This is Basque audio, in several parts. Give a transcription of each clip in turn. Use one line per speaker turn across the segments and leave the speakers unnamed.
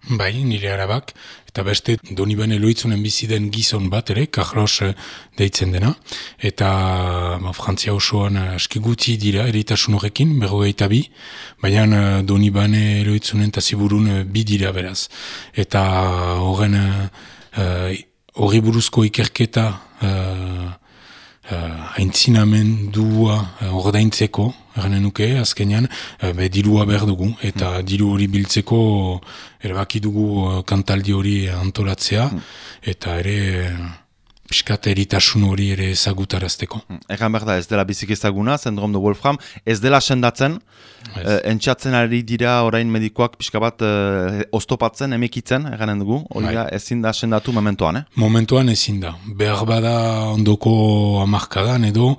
Bai, nire arabak, eta beste Donibane Loitzunen bizi den gizon bat ere, Carlos deitzen dena, eta Frantzia osoan aski guti dira eritasun horrekin, 52, baina Donibane Loitzunen eta Ziburun bi dira beraz. Eta horren horri buruzko ikerketa aintzinamendua ordaintzeko, erranen nuke, azkenean, dirua behar dugu, eta diru hori biltzeko erabaki dugu kantaldi hori antolatzea, eta ere piskat eritasun hori ere ezagutarazteko.
Egan behar da, ez dela bizik ezaguna, Syndrome de Wolfram, ez dela sendatzen, entxatzen ari dira orain medikoak pixka bat oztopatzen, emekitzen, eganen dugu, hori da, ezin da sendatu momentuan,
Momentuan ezin da. Behar bada ondoko hamarkadan edo,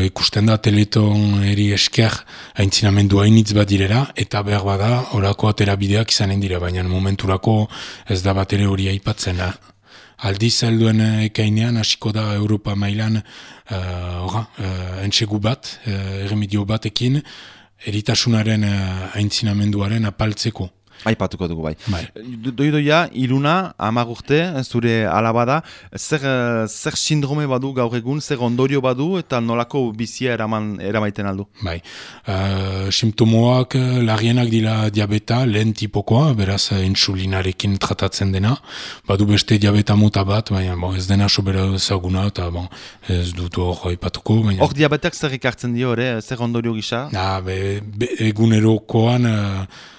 ikusten da Teleton eri esker aintzinamendu hainitz bat direra, eta behar bada horako aterabideak izanen dira, baina momenturako ez da bat ere hori aipatzen. Aldiz helduen ekainean hasiko da Europa mailan entsegu bat, erremedio batekin, eritasunaren aintzinamenduaren apaltzeko.
Aipatuko dugu bai. Doidoia, Iluna, 10 urte, zure alabada, zer sindrome badu gaur egun, zer ondorio badu eta nolako bizia eramaiten aldu?
Bai, simptomoak larrienak dira diabeta, lehen tipokoa, beraz insulinarekin tratatzen dena, badu beste diabeta mota bat, baina ez dena sobera ezaguna, eta ez dut hor aipatuko.
Hor diabetak zer ikartzen dio, zer ondorio gisa?
Egunerokoan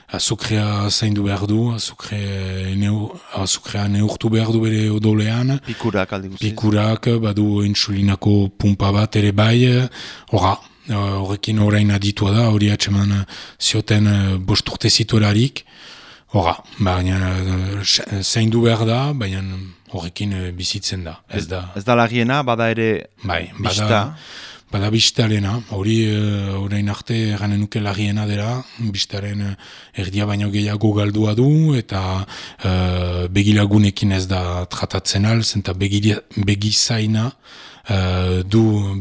azukrea zaindu behar du, azukrea neurtu behar du bere odolean.
Pikurak aldi guziz.
Pikurak, badu insulinako pumpa bat ere bai, horrekin orain aditua da, hori atseman zioten 5 urte zituelarik, baina zaindu behar da, baina horrekin bizitzen da. Ez
da lagiena, bada ere bista?
Bada bistarena, hori orain arte eranen nuke larriena dela, bistaren erdia baino gehiago galdua du, eta begilagunekin ez da tratatzen zenta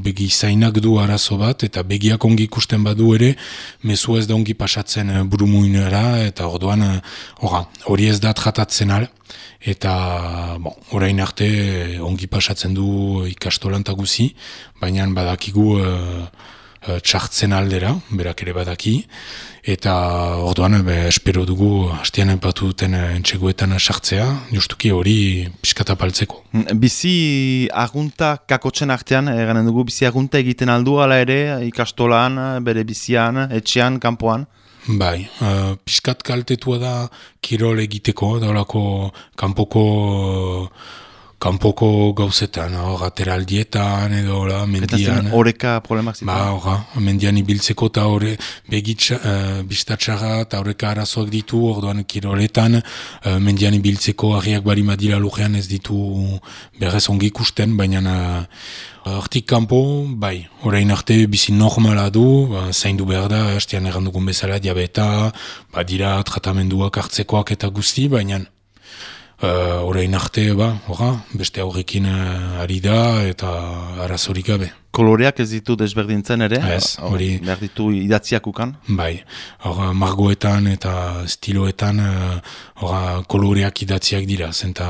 begizainak du arazo bat, eta begiak ongi ikusten badu ere, mezu ez da ongi pasatzen burumuinera, eta orduan hori ez da tratatzen eta orain arte ongi pasatzen du ikastolan eta guzi, baina badakigu txartzen aldera, berak ere badaki, eta orduan espero dugu hastian aipatu duten entxegoetan sartzea, justuki hori piskatapaltzeko.
Bizi agunta kakotzen artean, eganen dugu, bizi agunta egiten aldu ala ere, ikastolan, bere bizian, etxean, kanpoan?
Bai, piskat kaltetua da kirol egiteko, daulako kanpoko gauzetan, ateraldietan edo mendian.
Eta horreka problemak zitzen?
Mendian ibiltzeko eta bistatxarra eta horreka arazoak ditu, orduan kiroletan, mendian ibiltzeko harriak barima dira lujean ez ditu berrez ongi ikusten, baina hortik kanpo, bai, orain arte bizi normala du, zaindu behar da, hastean errandugun bezala diabeta, dira tratamenduak hartzekoak eta guzti, baina orain arte, beste aurrekin ari da eta arazorik gabe.
Koloreak ez ditu desberdintzen ere?
Ez, hori.
Behar ditu idatziak ukan?
Bai, margoetan eta stiloetan koloreak idatziak dira, zenta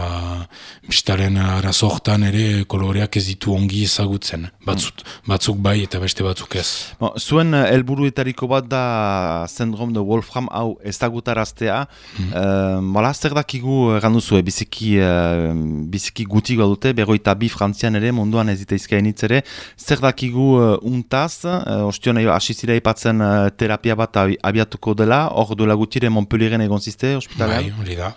bistaren arazo hortan ere koloreak ez ditu ongi ezagutzen. Batzuk bai eta beste batzuk ez.
Zuen helburuetariko bat da Syndrome de Wolfram hau ezagutaraztea. Zer dakigu ganduzue, biziki gutik badute, 52 Frantzian ere, munduan ez ditaizkainitz ere, zer dakigu untaz, ostion hasi zira ipatzen terapia bat abiatuko dela, hor duela gutire Montpellieren egon ziste, ospitalean?
Bai, hori da.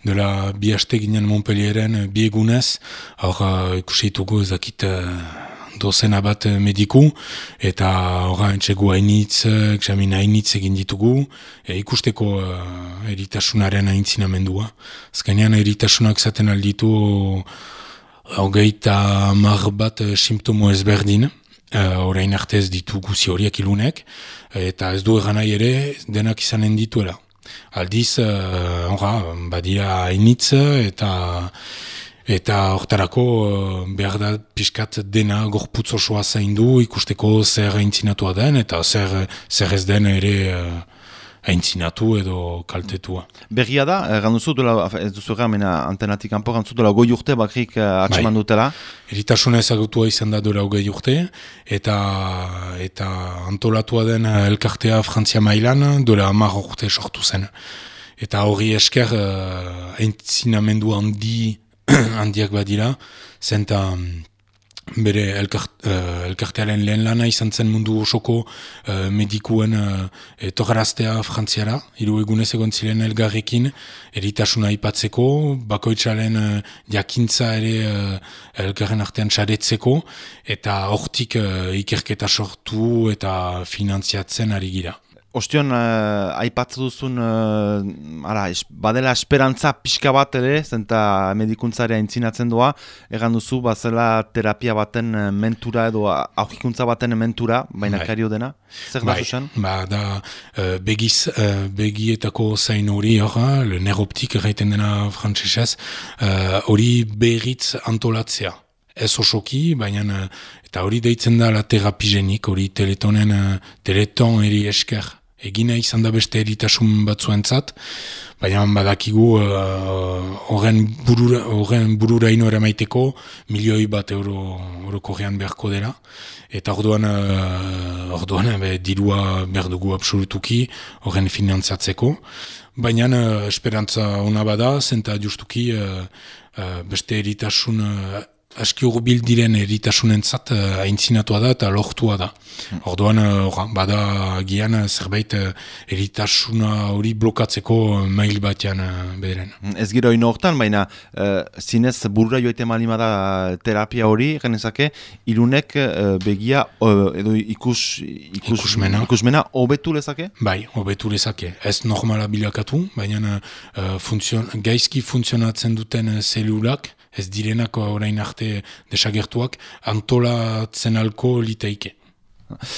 Dela bi haste ginen Montpellieren, bi egunez, hor ikuseitugu ezakit dozena bat mediku, eta entxegu hainitz, examin hainitz egin ditugu, ikusteko eritasunaren aintzinamendua. Azkenean eritasunak zaten alditu 30 bat simptomo ezberdin, orain arte ez ditu guzi horiek ilunek, eta ez du egan nahi ere denak izanen dituela. Aldiz, badira hainitz, eta hortarako behar da pixkat dena gorputz osoa zaindu, ikusteko zer aintzinatua den, eta zer ez den ere aintzinatu edo kaltetua.
Berria da, ganduzu duela, ez duzu gamena antenatik kanpo, ganduzu duela 20 urte bakrik atseman dutela?
Eritasuna ezagutua izan da duela 20 urte, eta antolatua den elkartea Frantzia mailan duela 10 urte sortu zen. Eta hori esker aintzinamendu handiak badira, zenta bere elkartearen lehen lana izan zen mundu osoko medikuen etorraztea Frantziara, 3 egunez egon ziren elgarrekin, eritasuna aipatzeko, bakoitzaren jakintza ere elgarren artean saretzeko, eta hortik ikerketa sortu eta finantziatzen ari gira.
Ostion, aipatzu duzun, badela esperantza pixka bat ere, zenta medikuntzarea aintzinatzen doa, egan duzu, bazela terapia baten mentura edo aurkikuntza baten mentura, baina kario dena? Zer da zuzen?
Da begietako zain hori, le neroptik erraiten dena frantsesez, hori berriz antolatzea. Ez osoki, baina eta hori deitzen da la terapigenik, hori teleton eri esker. Egina izan da beste eritasun batzuentzat, baina badakigu horren bururaino eramaiteko €1.000.000 korrean beharko dela, eta orduan dirua behar dugu absolutuki horren finantzatzeko, baina esperantza ona bada, zenta justuki beste eritasun aski urbil diren eritasunentzat aintzinatua da eta lortua da. Orduan, bada gian zerbait eritasuna hori blokatzeko mail batean bederen.
Ez gero ino hortan, baina zinez burura joite malimada terapia hori, genezake, ilunek begia edo ikusmena hobetu lezake?
Bai, hobetu lezake. Ez normala bilakatu, baina gaizki funtzionatzen duten zelulak, ez direnako orain arte desagertuak, antolatzen alko liteike.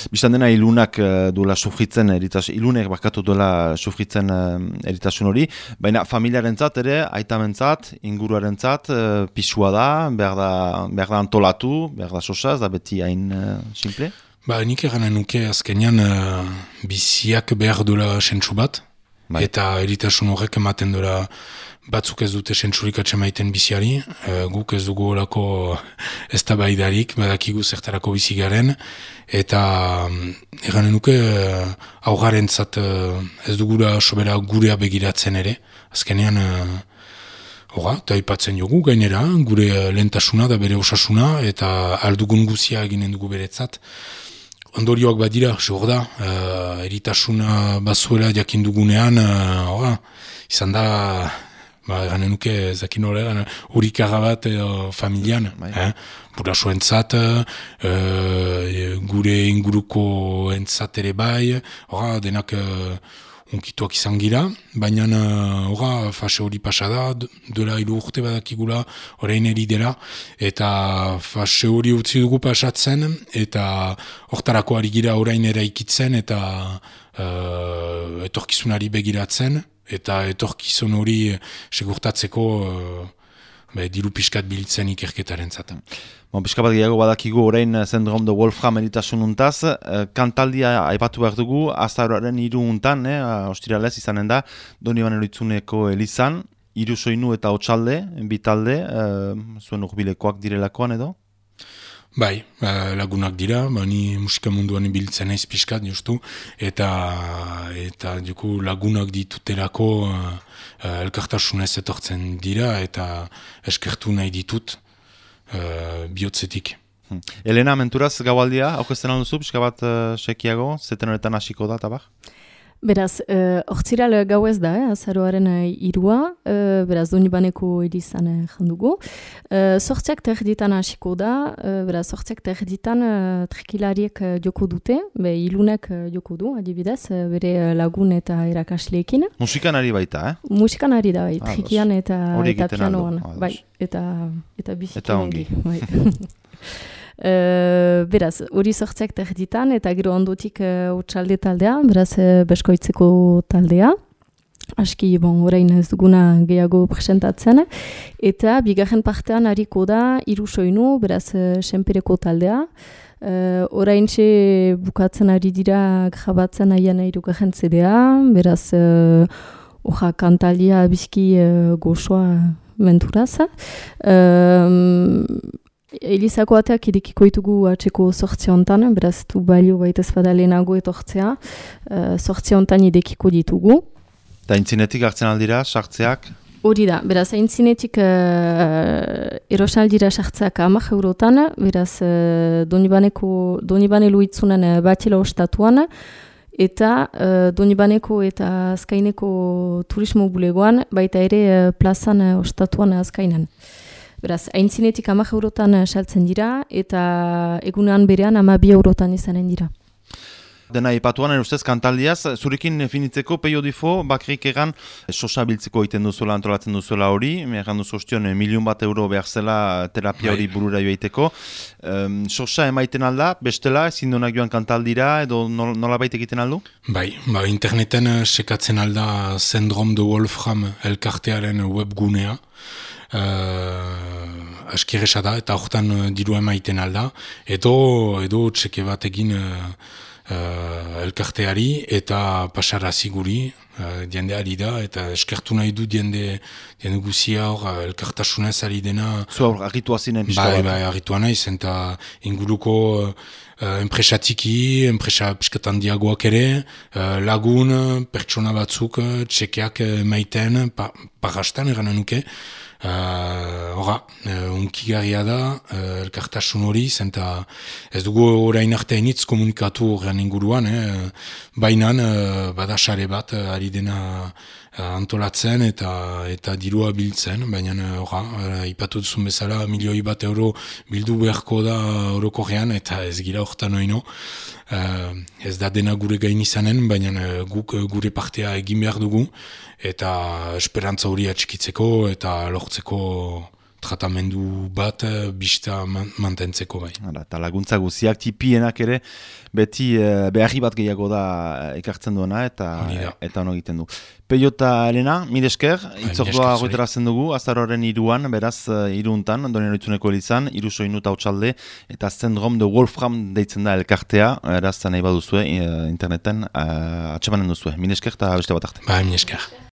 Bistan dena ilunak duela sufritzen ilunek bakatu duela sufritzen eritasun hori, baina familiarentzat ere, aitamentzat, inguruarentzat, pisua da, behar da antolatu, behar da sosaz, da beti hain simple?
Nik eranen nuke azkenean biziak behar duela sentsu bat, eta eritasun horrek ematen duela batzuk ez dute sentsurik atxemaiten biziari, guk ez dugu olako eztabaidarik, badakigu zertarako bizi garen, eta eranen nuke aurrarentzat ez dugula sobera gurea begiratzen ere, azkenean eta aipatzen jogu gainera, gure lehentasuna da bere osasuna, eta aldugun guzia eginen dugu beretzat. Ondorioak badira, segur da, eritasuna bazuela jakin dugunean, izan da, ganen nuke, zakin horregan, urikaga bat familian, burasoentzat, gure inguruko entzat ere bai, denak unkituak izan gira, baina fase hori pasada, duela 3 urte badakigula, orain eri dela, eta fase hori utzi dugu pasatzen, eta hortarako ari gira orain eraikitzen, eta etorkizunari begiratzen, eta etorkizun hori segurtatzeko diru piskat bilitzen ikerketaren zaten.
Pixka bat gehiago badakigu orain Syndrome de Wolfram eritasun untaz, kantaldia aipatu behar dugu, azaroaren 3 untan, ostiralez izanen da, Donibane Lohitzuneko elizan, 3 soinu eta hotsalde, bi talde, zuen urbilekoak direlakoan edo?
Bai, lagunak dira, ni musika munduan ibiltzen naiz pixkat, justu, eta lagunak dituterako elkartasunez etortzen dira, eta eskertu nahi ditut bihotzetik.
Elena, menturaz gaualdia, aukesten alduzu, pixka bat sekiago, zeten horretan hasiko da, tabar?
Beraz, ortziral gau ez da, azaroaren 3, beraz, Donibaneko edizan jandugu. 8 terditan hasiko da, beraz, 8 terditan trikilariek joko dute, ilunek joko du, adibidez, bere lagun eta erakasleekin.
Musikan ari baita,
Musikan ari da, trikian eta pianoan, bai, eta biziki ongi. Beraz, hori 8 terditan eta gero ondotik hotsalde taldea, beraz beskoitzeko taldea. Aski, orain ez duguna gehiago presentatzen. Eta bigarren partean hariko da 3 soinu, beraz senpereko taldea. Oraintxe bukatzen ari dira grabatzen aian hirugarren CD-a, beraz kantalia bizki gozoa menturaz. Elizako ateak irekiko ditugu atzeko sortzi hontan, beraz du balio baita ezpada lehenago etortzea, sortzi hontan irekiko ditugu.
Eta intzinetik hartzen aldira, sartzeak?
Hori da, beraz intzinetik erosan aldira sartzeak 10 eurotan, beraz Donibane Luitzunen batila ostatuan, eta Donibaneko eta Azkaineko turismo bulegoan, baita ere plazan ostatuan Azkainan. Beraz, aintzinetik 10 eurotan saltzen dira, eta egunean berean 12 eurotan izanen dira.
Dena ipatuan, ustez, kantaldiaz, zurekin finitzeko periodifo, bakrik egan, sosa biltzeko egiten duzuela, antolatzen duzuela hori, egan duzu ostion, €1.000.000 behar zela terapia hori burura joaiteko. Sosa emaiten alda, bestela, ezin duenak joan kantaldira, edo nola baita egiten aldu?
Bai, interneten sekatzen alda Syndrome de Wolfram elkartearen webgunea, askiresa da, eta horretan diru emaiten alda, edo txeke bat egin elkarteari eta pasarazi guri, diendeari da, eta eskertu nahi du diende guzia hor elkartasunez ari dena.
Zu hor, agitua zinen pixka bat?
Bai, agitua naiz, eta inguruko enpresa txiki, enpresa piskatan diagoak ere, lagun, pertsona batzuk, txekeak maiten, parrastan eranen nuke. Unkigarria da, elkartasun hori, zenta ez dugu orain arte hainitz komunikatu horrean inguruan, bainan badasare bat ari dena antolatzen eta dirua biltzen, baina ipatu duzun bezala €1.000.000 bildu beharko da orokorrean eta ez gira horretan oino. Ez da dena gure gain izanen, baina guk gure partea egin behar dugu eta esperantza hori atxikitzeko eta lortzeko tratamendu bat bista mantentzeko bai.
Eta laguntza guziak tipienak ere beti beharri bat gehiago da ekartzen duena eta ono egiten du. Peio eta Elena, mil esker, itzordua goitarazen dugu, azaroaren 3an, beraz 3untan, Donian Oitzuneko elizan, 3 soinu hautsaldea eta Syndrome de Wolfram deitzen da elkartea, eraz nahi baduzue interneten atxemanen duzue. Mil esker eta beste bat arte.
Bai, mil esker.